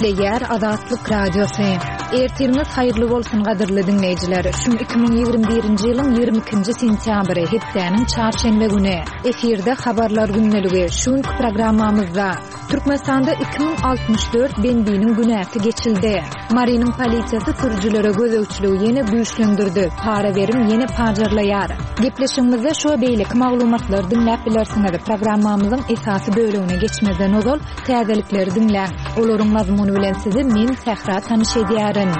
Gepleýär Azatlyk Radiosy. Ertiriňiz haýyrly bolsun gadyrly diňleýjiler. Şu gün 2021-nji ýylyň 22-nji sentýabry, hepdäniň çarşenbe güni. Efirde habarlar gündeligi. Şu günki programmamyzda Türkmenistanda 2064 bendiniň günäsi geçildi. Marynyň polisiýasy sürüjilere gözegçiligi ýene güýçlendirdi, para-berim ýene pajarlaýar. Gepleşigimizde şu we beýleki maglumatlary diňläp bilersiňiz. Programmamyzyň esasy bölegine geçmezden ozal, täzelikleri diňläň. Olaryň mazmuny bilen sizi men, Sähra tanyş edýärin.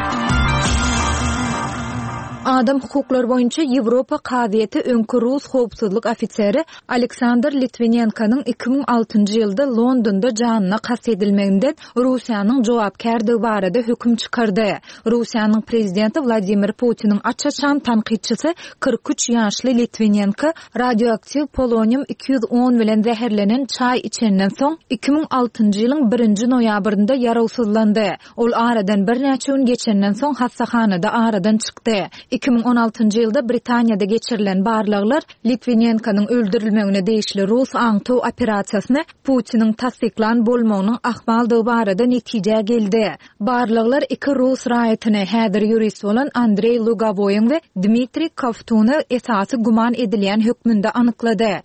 Adam hukuklary boýunça Ýewropa kazyýeti öňki rus howpsuzlyk ofiseri Aleksandr Litwinenkonyň 2006-njy ýylda Londonda janyna kast edilmeginden Russiýanyň jogapkärdigi barada höküm çykardy. Russiýanyň prezidenti Wladimir Putiniň aç-açan tankytçysy 43 ýaşly Litwinenko radioaktiw polonium 210 bilen zäherlenen çaý içenden soň, 2006-njy ýylyň birinji noýabrynda ýarawsyzlandy. Ol aradan birnäçe gün geçenden soň hassahanada aradan çykdy. 2016-njy ýylda Britaniýada geçirilen barlaglar Litwinenkonyň öldürilmegine degişli rus aňtaw operasiýasyny Putiniň tassyklan bolmagynyň ahmaldygy barada netijä geldi. Barlaglar iki rus raýatyny, häzir ýurist bolan Andreý Lugowoýyň we Dmitriý Kovtuny esasy güman edilýän hökmünde anyklady.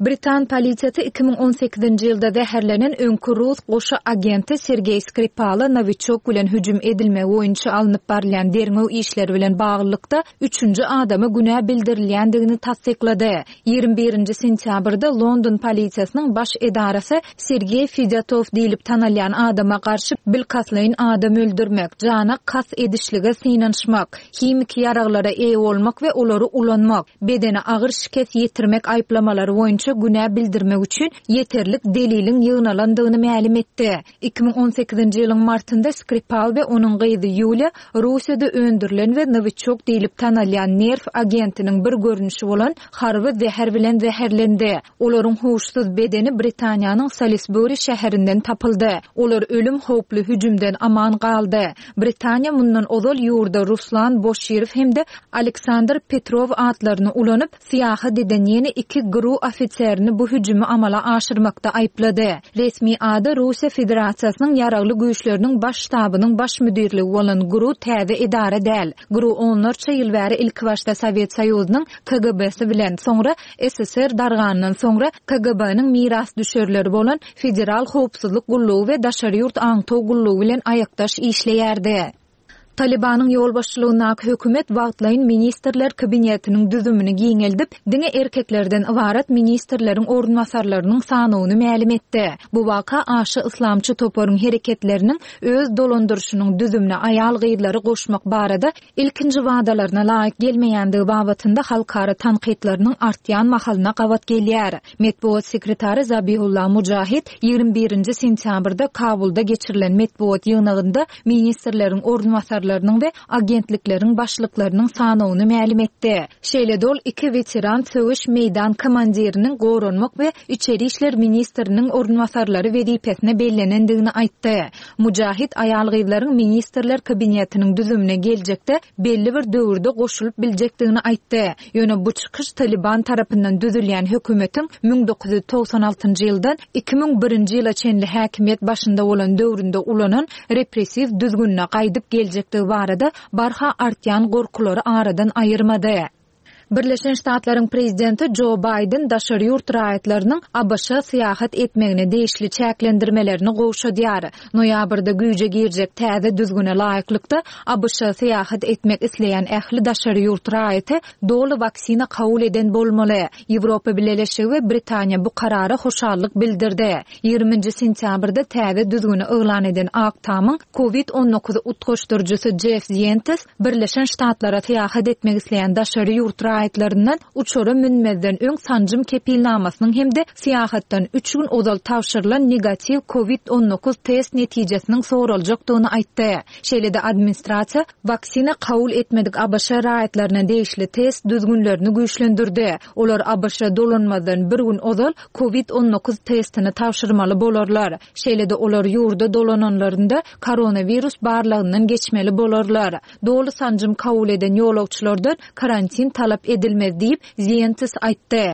Britan polisiýasy 2018-nji ýylda zäherlenen öňki rus goşa agenti Sergeý Skripala Nowiçok bilen hüjüm edilmegi boýunça alnyp barylýan derňew işleri bilen baglylykda üçünji adama günä bildirilýändigini tassyklady. 21-nji sentýabrda London polisiýasynyň baş edarasy Sergeý Fedýatow diýlip tanalýan adama garşy bilkastlaýyn adam öldürmek, jana kast edişlige synanyşmak, himiki ýaraglara eýe bolmak we olary ulanmak, bedene agyr şikes ýetirmek aýyplamalary boýunça günä bildirmek üçin ýeterlik deliliň ýygnalandygyny mälim etdi. 2018-nji ýylyň martynda Skripal we onuň gyzy Ýuliýa Russiýada öndürilen we Nowiçok diýlip tanalýan nerw agentiniň bir görnüşi bolan harby zäher bilen zäherlendi. Olaryň huşsuz bedeni Britaniýanyň Salisbury şäherinden tapyldy. Olar ölüm howply hüjümden aman galdy. Britaniýa mundan ozal ýurda Ruslan Boşirow hem-de Aleksandr Petrow atlaryny ulanyp, syýahat eden ýene iki GRU ofiserini bu hüjümi amala aşyrmakda aýyplady. Resmi ady Russiýa Federasiýasynyň Ýaragly Güýçleriniň Baş ştabynyň Baş müdirligi bolan GRU täze edara däl. GRU onlarça ýyl bäri ilkibaşda Sowet Soýuzynyň KGB-si bilen, soňra SSR dargandan soňra KGB-niň mirasdüşerleri bolan Federal howpsuzlyk gullugy we daşary ýurt aňtaw gullugy bilen aýakdaş işleýärdi. Talybanyň ýolbaşçylygyndaky hökümet wagtlaýyn ministrler kabinetiniň düzümini giňeldip, diňe erkeklerden ybarat ministrleriň orunbasarlarynyň sanawyny mälim etdi. Bu waka aşa yslamçy toparyň hereketleriniň öz dolandyryşynyň düzümine aýal-gyzlary goşmak barada ilkinji wadalaryna laýyk gelmeýändigi babatynda halkara tankytlarynyň artýan mahalyna gabat gelýär. Metbugat sekretary Zabihullah Mujahid 21-nji sentýabrda Kabulda geçirilen metbugat ýygnagynda ministrleriň orunbasarlarynyň we agentlikleriň başlyklarynyň sanawyny mälim etdi. Şeýle-de ol iki weteran söweş meýdan komandiriniň goranmak we içeri işler ministriniň orunbasarlary wezipesine bellenendigini aýtdy. Mujahid aýal-gyzlaryň Ministrler Kabinetiniň düzümine geljekde belli bir döwürde goşulyp biljekdigini aýtdy. Ýöne bu çykyş Talyban tarapyndan düzülýän hökümetiň 1996-njy ýyldan 2001-nji ýyla çenli häkimiýet başynda bolan döwründe ulanan repressiw düzgünine gaýdyp geljekdigi barada barha artýan gorkulary aradan aýyrmady. Birleşen Ştatlaryň prezidenti Jo Baýden daşary ýurt raýatlarynyň ABŞ-a syýahat etmegine degişli çäklendirmelerini gowşadýar. Noýabrda güýje girjek täze düzgüne laýyklykda, ABŞ-a syýahat etmek isleýän ähli daşary ýurt raýaty doly waksina kabul eden bolmaly. Ýewropa Bileleşigi we Britaniýa bu karara hoşallyk bildirdi. Ýigriminji sentýabrda täze düzgüni yglan eden Ak Tamyň Covid 19 utgaşdyryjysy Jeff Zientes Birleşen Ştatlara syýahat etmek isleýän daşary ýurt raýatlaryndan uçara münmezden öň sanjym kepilnamasynyň hem-de syýahatdan üç gün ozal tabşyrylan negatiw Covid 19 test netijesiniň soraljakdygyny aýtdy. Şeýle-de administrasiýa waksina kabul etmedik ABŞ raýatlaryna degişli test düzgünlerini güýçlendirdi. Olar ABŞ-a dolanmazdan bir gün ozal Covid 19 testini tabşyrmaly bolarlar. Şeýle-de olar ýurda dolananlarynda koronawirus barlagyndan geçmeli bolarlar. Doly sanjym kabul eden ýolagçylardan karantin talap edilmez diýip, Zientes aýtdy.